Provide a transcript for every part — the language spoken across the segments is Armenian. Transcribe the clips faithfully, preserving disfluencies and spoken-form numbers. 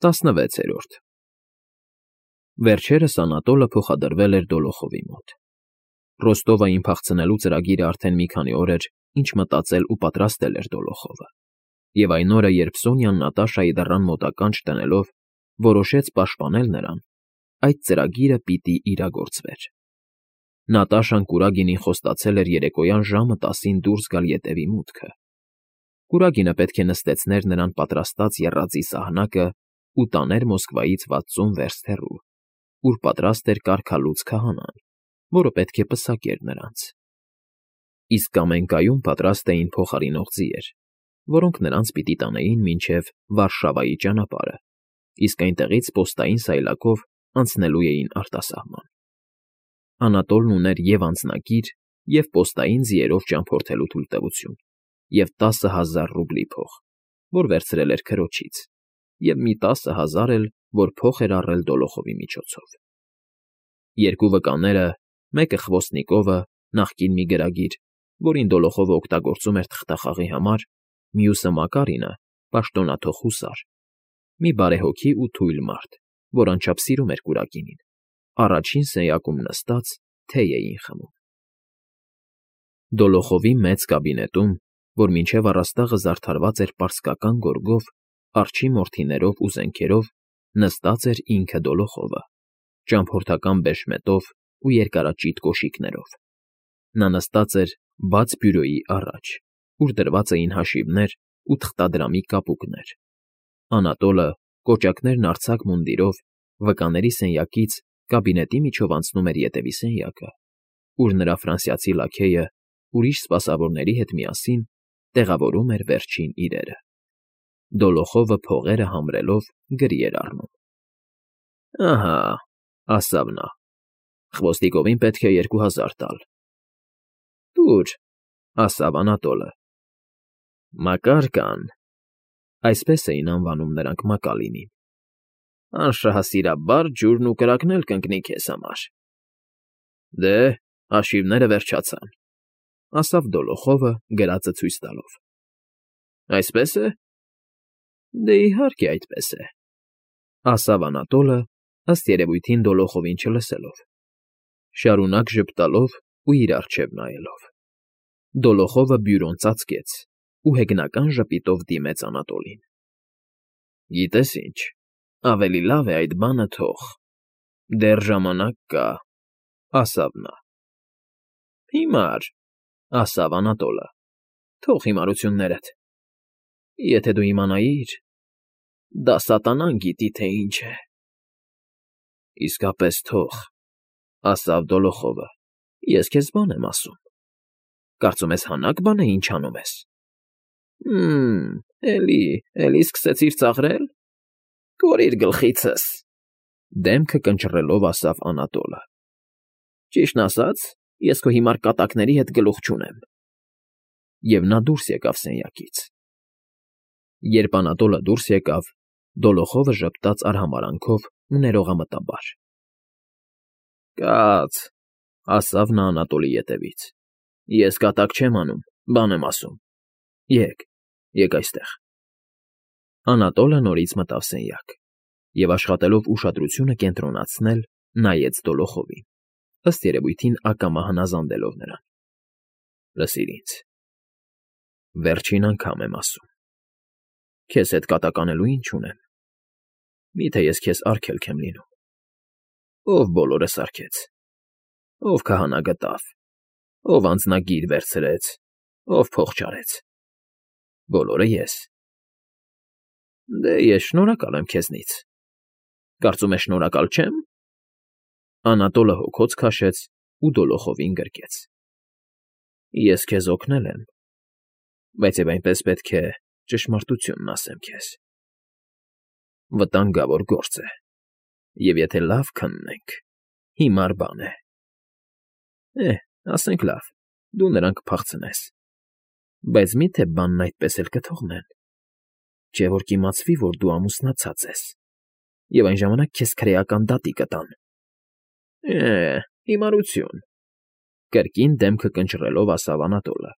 տասնվեցերորդ Վերջերս Անատոլը փոխադրվել էր Դոլոխովի մոտ։ Ռոստովային փախցնելու ծրագիրը արդեն մի քանի օր էր, ինչ մտածել ու պատրաստել էր Դոլոխովը, և այն օրը, երբ Սոնյան Նատաշայի դռան մոտակա չտնելով, որոշեց պաշտպանել նրան, այդ ծրագիրը պիտի իրագործվեր։ Նատաշան Կուրագինին խոստացել էր երեկոյան ժամը տասին դուրս գալ ետևի մուտքը։ Կուրագինը պետք է նստեցներ նրան պատրաստած եռածի սահնակը ու տաներ Մոսկվայից վաթսուն վերստ հեռու, ուր պատրաստ էր կարգալուծ քահանան, որը պետք է պսակեր նրանց։ Իսկ Կամենկայում պատրաստ էին փոխարինող ձիեր, որոնք նրանց պիտի տանեին մինչև Վարշավայի ճանապարհը, իսկ այնտեղից պոստային սայլակով անցնելու էին արտասահման։ Անատոլն ուներ և անձնագիր, և պոստային ձիերով ճամփորդելու թույլտվություն, և տասը հազար ռուբլի փող, որ վերցրել էր քրոջից, և մի տասը հազար էլ, որ փոխ էր առել Դոլոխովի միջոցով։ Երկու վկաները, մեկը Խվոստնիկովը, նախկին մի գրագիր, որին Դոլոխովը օգտագործում էր թղթախաղի համար, մյուսը Մակարինը, պաշտոնաթող հուսար, մի բարեհոգի ու թույլ մարդ, որ անչափ սիրում էր Կուրագինին, առաջին սենյակում նստած թեյ էին խմում։ Դոլոխովի մեծ կաբինետում, որ մինչև առաստաղը զարդարված էր պարսկական գորգով, արջի մորթիներով ու զենքերով, նստած էր ինքը Դոլոխովը, ճամփորդական բեշմետով ու երկարաճիտ կոշիկներով։ Նա նստած էր բաց բյուրոյի առաջ, ուր դրված էին հաշիվներ ու թղթադրամի կապուկներ։ Անատոլը, կոճակներն արձակ մունդիրով, վկաների սենյակից կաբինետի միջով անցնում էր ետևի սենյակը, ուր նրա ֆրանսիացի լաքեյը ուրիշ սպասավորների հետ միասին տեղավորում էր վերջին իրերը։ Դոլոխովը փողերը համրելով գրի էր առնում։ ֊ Ահա, ասավ նա, Խվոստիկովին պետք է երկու հազար տալ։ ֊ Տուր, ասավ Անատոլը։ Մակար֊կան, այսպես էին անվանում նրանք Մակալինին, անշահասիրաբար ջուրն ու կրակն էլ կընկնի քեզ համար։ ֊ Դե, հաշիվները վերջացան, ասավ Դոլոխովը, գրածը ցույց տալով։ ֊ Այսպե՞ս է։ ֊ Դե, իհարկե, այդպես է, ասավ Անատոլը, ըստ երևույթին Դոլոխովին չլսելով, շարունակ ժպտալով ու իր առջև նայելով։ Դոլոխովը բյուրոն ծածկեց ու հեգնական ժպիտով դիմեց Անատոլին։ ֊ Գիտես ինչ, ավելի լավ է այդ բանը թող, դեռ ժամանակ կա, ասավ նա։ ֊ Հիմար, ասավ Անատոլը, թող հիմարություններդ, եթե դու իմանայիր, դա սատանան գիտի, թե ինչ է։ ֊ Իսկապես թող, ասավ Դոլոխովը, ես քեզ բան եմ ասում։ Կարծում ես հանաք բան է, ինչ անում ես։ ֊ Հը՜մ, էլի, էլի սկսեցիր ծաղրել, կորիր գլխիցս, դեմքը կնճռելով ասավ Անատոլը։ ֊ Ճիշտն ասած, ես քո հիմար կատակների հետ գլուխ չունեմ։ Եվ նա դուրս եկավ սենյակից։ Երբ Անատոլը դուրս եկավ, Դոլոխովը ժպտաց արհամարհանքով ու ներողամտաբար։ ֊ Կաց, ասավ նա Անատոլի ետևից, ես կատակ չեմ անում, բան եմ ասում։ Եկ, եկ այստեղ։ Անատոլը նորից մտավ սենյակ և, աշխատելով ուշադրությունը կենտրոնացնել, նայեց Դոլոխովին, ըստ երևույթին ակամա հնազանդելով նրան։ ֊ Լսիր ինձ, վերջին անգամ եմ ասում, քեզ հետ կատակ անելու ինչ ունեմ։ Մի՞թե ես քեզ արգելք եմ լինում։ Ո՞վ բոլորը սարքեց, ո՞վ քահանա գտավ, ո՞վ անձնագիր վերցրեց, ո՞վ փող չարեց։ Բոլորը ես։ Դե, ես շնորհակալ եմ քեզնից։ Կարծում ես շնորհակալ չեմ։ Անատոլը հոգոց քաշեց ու Դոլոխովին գրկեց։ ֊ Ես քեզ օգնել եմ, բայց և այնպես պետք է ճշմարտությունն ասեմ քեզ։ Վտանգավոր գործ է, և եթե լավ քննենք, հիմար բան է։ Է, ասենք լավ, դու նրան կփախցնես, բայց մի՞թե բանն այդպես էլ կթողնեն, չէ որ կիմացվի, որ դու ամուսնացած ես, և այն ժամանակ քեզ քրեական դատի կտան։ ֊ Է, հիմարություն, կրկին դեմքը կնճռելով ասավ Անատոլը,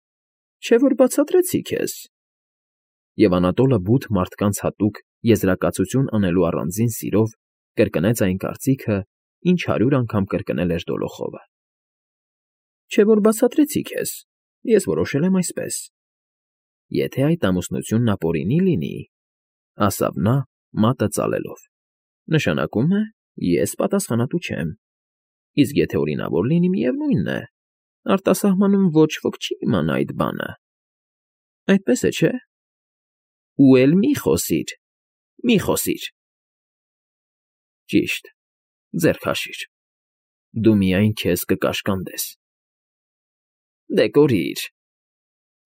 չէ որ բացատրեցի քեզ։ Եվ Անատոլը բութ մարդկանց հատուկ եզրակացություն անելու առանձին սիրով կրկնեց այն կարծիքը, ինչ հարյուր անգամ կրկնել էր Դոլոխովը։ Չէ՞ որ բացատրեցի քեզ, ես որոշել եմ այսպես. եթե այդ ամուսնությունն ապօրինի լինի, ասավ նա, մատը ծալելով, նշանակում է, ես պատասխանատու չեմ, իսկ եթե օրինավոր լինի, միևնույն է, արտասահմանում ոչ ոք չի իմանա այդ բանը։ Այդպես է, չէ՞։ Ու էլ մի խոսիր, մի խոսիր։ Ճիշտ, ձեռք քաշիր, դու միայն քեզ կկաշկանդես։ Դե կորիր,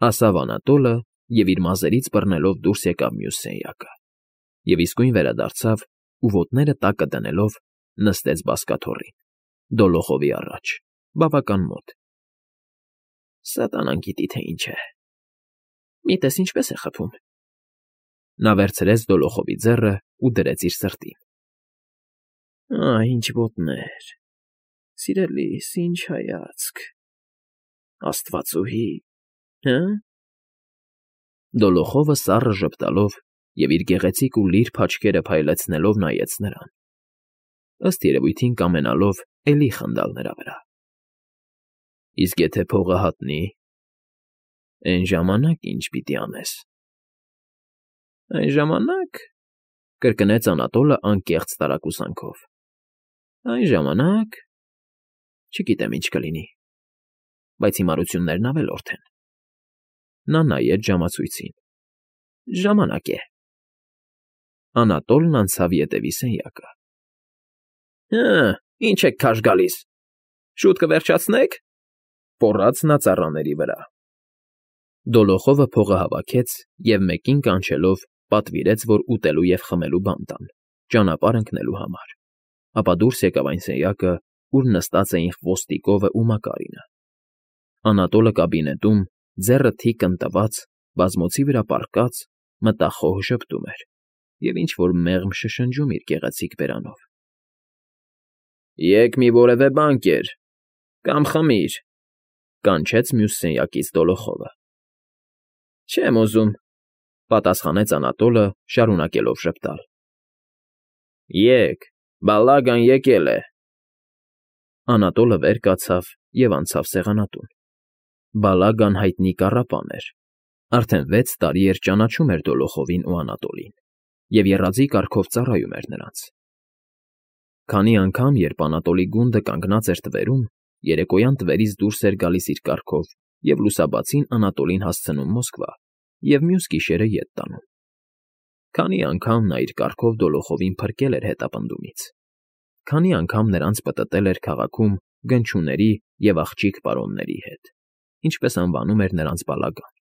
ասավ Անատոլը և իր մազերից բռնելով դուրս եկավ մյուս սենյակը, և իսկույն վերադարձավ ու ոտները տակը դնելով նստեց բազկաթոռին, Դոլոխովի առաջ, բավական մոտ։ Սատանան գիտի, թե ինչ է։ Մի տես ինչպես է խփում։ Նա վերցրեց Դոլոխովի ձեռը ու դրեց իր սրտին։ Ահ, ինչ ոտներ, սիրելիս, ինչ հայացք, աստվածուհի, հը՞։ Դոլոխովը սառը ժպտալով և իր գեղեցիկ ու լիրբ աչքերը փայլեցնելով նայեց նրան, ըստ երևույթին կամենալով էլի խնդալ նրա վրա։ Իսկ եթե փողը հատնի, էն ժամանակ ինչ պիտի անես։ Այն ժամանակ, կրկնեց Անատոլը անկեղծ տարակուսանքով, այն ժամանակ… չգիտեմ ինչ կլինի, բայց հիմարություններն ավելորդ են։ Նա նայեց ժամացույցին։ Ժամանակ է։ Անատոլն անցավ ետևի սենյակը։ Հը, ինչ եք քաշ գալիս, շուտ կվերջացնե՞ք, պոռաց նա ծառաների վրա։ Դոլոխովը փողը հավաքեց և մեկին կանչելով պատվիրեց, որ ուտելու և խմելու բան տան, ճանապարհ ընկնելու համար, ապա դուրս եկավ այն սենյակը, ուր նստած էին Խոստիկովն ու Մակարինը։ Անատոլը կաբինետում, ձեռը թիկն տված, բազմոցի վրա պառկած, մտախոհ ժպտում էր և ինչ֊որ մեղմ շշնջում իր գեղեցիկ բերանով։ Եկ մի որևէ բան կեր, կամ խմիր, կանչեց մյուս սենյակից Դոլոխովը։ Չեմ ուզում, պատասխանեց Անատոլը, շարունակելով ժպտալ։ Եկ, բալագան եկել է։ Անատոլը վեր կացավ և անցավ սեղանատուն։ Բալագան հայտնի կառապան էր, արդեն վեց տարի էր ճանաչում էր Դոլոխովին ու Անատոլին և եռաձի կարգով ծառայում էր նրանց։ Քանի անգամ, երբ Անատոլի գունդը կանգնած էր թվերում, երեկոյան տվերից դուրս էր գալիս իր կառքով և լուսաբացին Անատոլին հասցնում Մոսկվա և մյուս գիշերը ետ տանում։ Քանի անգամ նա իր կառքով Դոլոխովին փրկել էր հետապնդումից։ Քանի անգամ նրանց պտտել էր քաղաքում գնչուների և աղջիկ պարոնների հետ, ինչպես անվանում էր նրանց բալագան։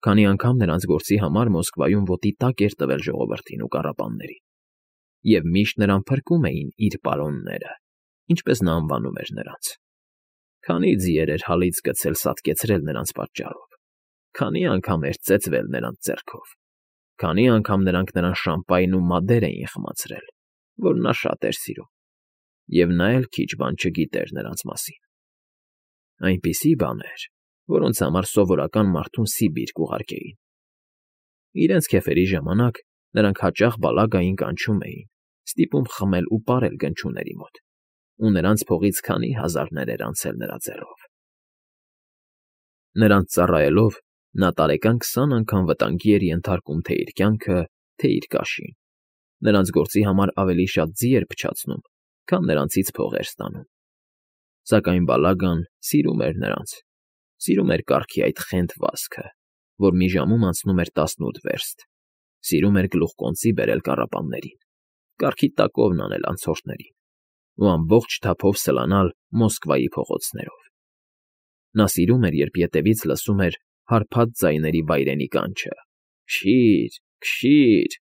Քանի անգամ նրանց գործի համար Մոսկվայում ոտի տակ էր տվել ժողովրդին ու կառապաններին, և միշտ նրան փրկում էին իր պարոնները, ինչպես նա անվանում էր նրանց։ Քանի ձիեր էր հալից գցել սատկեցրել նրանց պատճառով, քանի անգամ էր ծեծվել նրանց ձեռքով, քանի անգամ նրանք նրան շամպայն ու մադեր էին խմացրել, որ նա շատ էր սիրում, և նա էլ քիչ բան չգիտեր նրանց մասին։ Այնպիսի բաներ, որոնց համար սովորական մարդուն Սիբիր կուղարկեին։ Իրենց քեֆերի ժամանակ նրանք հաճախ բալագային կանչում էին, ստիպում խմել ու պարել գնչուների մոտ, ու նրանց փողից քանի հազարներ էր անցել նրա ձեռով։ Նրանց ծառայելով նա տարեկան քսան անգամ վտանգի էր ենթարկում թե իր կյանքը, թե իր կաշին, նրանց գործի համար ավելի շատ ձի էր փչացնում, քան նրանցից փող էր ստանում։ Սակայն բալագան սիրում էր նրանց, սիրում էր կառքի այդ խենթ վազքը, որ մի ժամում անցնում էր տասնութ վերստ, սիրում էր գլուխկոնծի բերել կառապաններին, կառքի տակովն անել անցորդներին ու ամբողջ թափով սլանալ Մոսկվայի փողոցներով։ Նա սիրում էր, երբ ետևից լսում էր հարբած ձայների վայրենի կանչը. «Քշի՛ր, քշի՛ր»,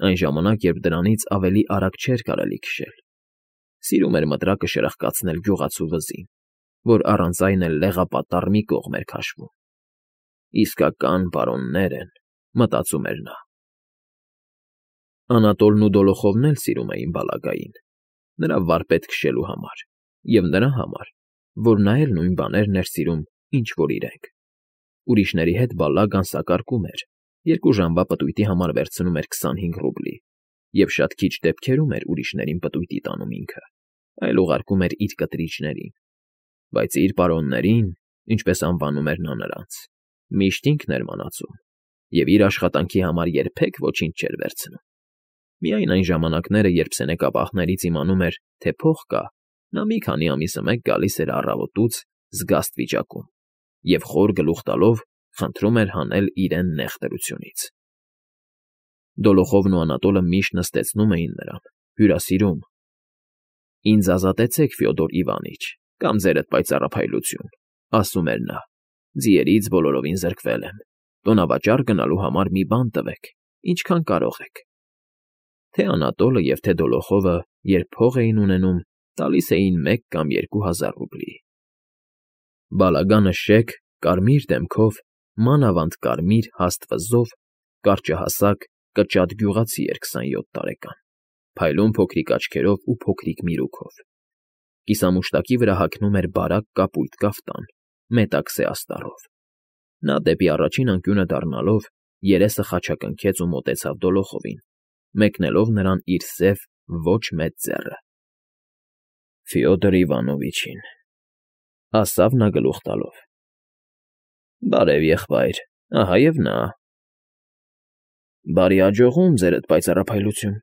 այն ժամանակ, երբ դրանից ավելի արագ չէր կարելի քշել։ Սիրում էր մտրակը շրխկացնել գյուղացու վզին, որ առանց այն էլ լեղապատառ մի կողմ էր քաշվում։ Իսկական պարոններ են, մտածում էր նա։ Անատոլն ու Դոլոխովն էլ սիրում էին բալագային, նրա վարպետ քշելու համար, և նրա համար, որ նա էլ նույն բաներն էր սիրում, ինչ որ իրենք։ Ուրիշների հետ բալագան սակարկում էր երկու ժամվա պտույտի համար վերցնում էր քսանհինգ ռուբլի և շատ քիչ դեպքերում էր ուրիշներին պտույտի տանում ինքը, այլ ուղարկում էր իր կտրիչներին, բայց իր պարոններին, ինչպես անվանում էր նա նրանց, միշտ ինքն էր մանածում և իր աշխատանքի համար երբեք ոչինչ չէր վերցնում։ Միայն այն ժամանակները, երբ սենեկապահներից իմանում էր, թե փող կա, նա մի քանի ամիսը մեկ գալիս էր առավոտուց զգաստ վիճակում և խոր գլուխ տալով խնդրում էր հանել իրեն նեղ դրությունից։ Դոլոխովն ու Անատոլը միշտ նստեցնում էին նրան, հյուրասիրում։ «Ինձ ազատեցեք, Ֆյոդոր Իվանիչ, կամ ձերդ պայծառափայլություն», ասում էր նա, «ձիերից բոլորովին զրկվել եմ, տոնավաճառ գնալու համար մի բան տվեք, ինչքան կարող եք»։ Թե Անատոլը և թե Դոլոխովը, երբ փող էին ունենում, տալիս էին մեկ կամ երկու հազար ռուբլի։ Բալագանը շեկ, կարմիր դեմքով, մանավանդ կարմիր հաստ վզով, կարճահասակ, կճատ գյուղացի էր քսանյոթ տարեկան, փայլուն փոքրիկ աչքերով ու փոքրիկ միրուքով։ Կիսամուշտակի վրա հագնում էր բարակ կապույտ կաֆտան, մետաքսե աստառով։ Նա դեպի առաջին անկյունը դառնալով երեսը խաչակնքեց ու մոտեցավ Դոլոխովին, մեկնելով նրան իր սև, ոչ մեծ ձեռը։ «Ֆյոդոր Իվանովիչին», ասավ նա գլուխ տալով։ «Բարև, եղբայր, ահա և նա»։ «Բարի աջողում, ձերդ պայծառափայլություն»,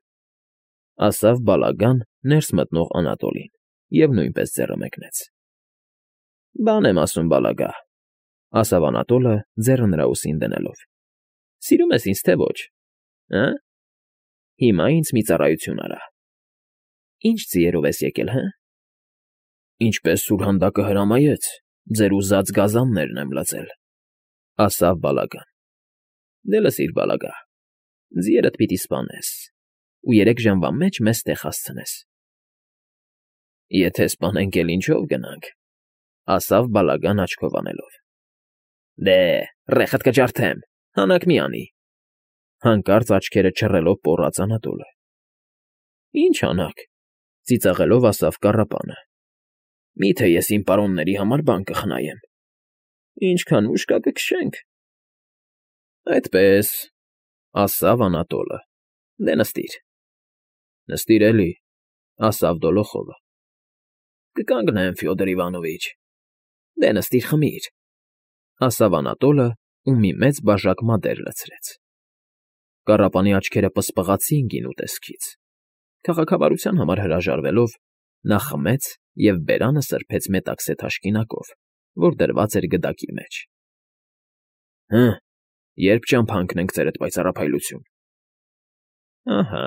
ասավ բալագան ներս մտնող Անատոլին և նույնպես ձեռը մեկնեց։ «Բան եմ ասում, բալագա», ասավ Անատոլը, ձեռը նրա ուսին դնելով։ «Սիրում ես ինձ, թե ոչ, հը՞։ Հիմա ինձ մի ծառայություն արա։ Ի՞նչ ձիերով ես եկել, հը»։ «Ինչպես սուրհանդակը հրամայեց, ձեր ուզած գազաններն եմ լցել», ասավ բալագան։ «Դե լսիր, բալագա, ձիերդ պիտի սպանես ու երեք ժամվա մեջ մեզ տեղ հասցնես»։ «Եթե սպանենք, էլ ինչո՞վ գնանք», ասավ բալագան աչքով անելով։ «Դե, ռեխդ կջարդեմ, հանակ մի անի», հանկարծ աչքերը չռելով պոռաց Անատոլը։ «Ի՞նչ հանակ», ծիծաղելով ասավ կառապանը։ «Մի՞թե ես իմ պարոնների համար բան կխնայեմ։ Ինչքան ուժ կա կքշենք»։ «Այդպես», ասավ Անատոլը։ «Դե նստիր»։ «Նստիր էլի», ասավ Դոլոխովը։ «Կկանգնեմ, Ֆյոդոր Իվանովիչ»։ «Դե նստիր, խմիր», ասավ Անատոլը ու մի մեծ բաժակ մադեր լցրեց։ Կառապանի աչքերը պսպղացին գինու տեսքից։ Քաղաքավարության համար հրաժարվելով, նա խմեց և բերանը սրբեց մետաքսե թաշկինակով, որ դրված էր գդակի մեջ։ «Հը, երբ ճամփա ընկնենք, ձերդ պայծառափայլություն»։ «Ահա»,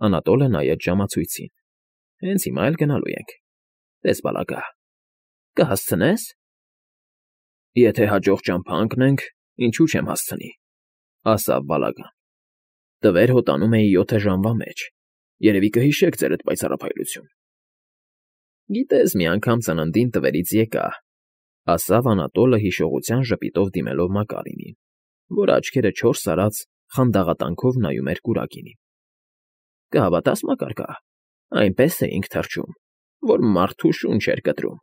Անատոլը նայեց ժամացույցին։ «Հենց հիմա էլ գնալու ենք։ Տես, բալագա, կհասցնե՞ս»։ «Եթե հաջող ճամփա ընկնենք, ինչու չեմ հասցնի», ասավ բալագան։ «Տվեր հոտանում էի յոթը ժամվա մեջ, երևի կհիշեք, ձերդ պայծառափայլություն»։ «Գիտես, մի անգամ ծննդին տվերից եկա», ասավ Անատոլը հիշողության ժպիտով դիմելով Մակարինին, որ աչքերը չորս արած խանդաղատանքով նայում էր կուրակինին։ «Կհավատաս, Մակարկա, այնպես էինք թռչում, որ մարդու շունչ էր կտրում։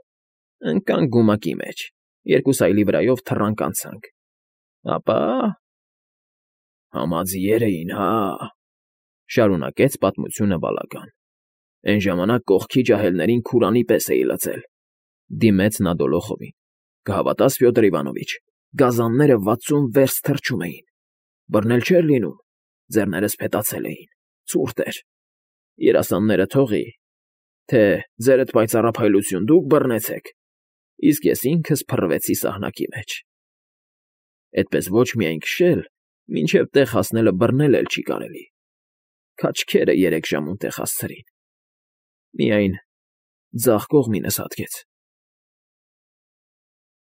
Ընկանք գումակի մեջ, երկու սայլի վրայով թռանք անցանք։ Ապա… Համաձիեր էին, հա՜, շարունակեց պատմությունը բալագան։ «Էն ժամանակ կողքի ջահելներին քուրանի պես էի լցել»։ Դիմեց նա Դոլոխովին։ «Կհավատաս, Ֆյոդոր Իվանովիչ, գազանները վաթսուն վերստ թռչում էին։ Բռնել չէր լինում, ձեռներս փետացել էին, ցուրտ էր։ Երասանները թողի, թե ձերդ պայծառափայլություն դուք բռնեցեք, իսկ ես ինքս փռվեցի սահնակի մեջ։ Էդպես ոչ միայն քշել, մինչև տեղ հասնելը բռնել էլ չի կարելի։ Քաչքերը երեք ժամում տեղ հասցրին։ Միայն ձախ կողմինս հատկեց»։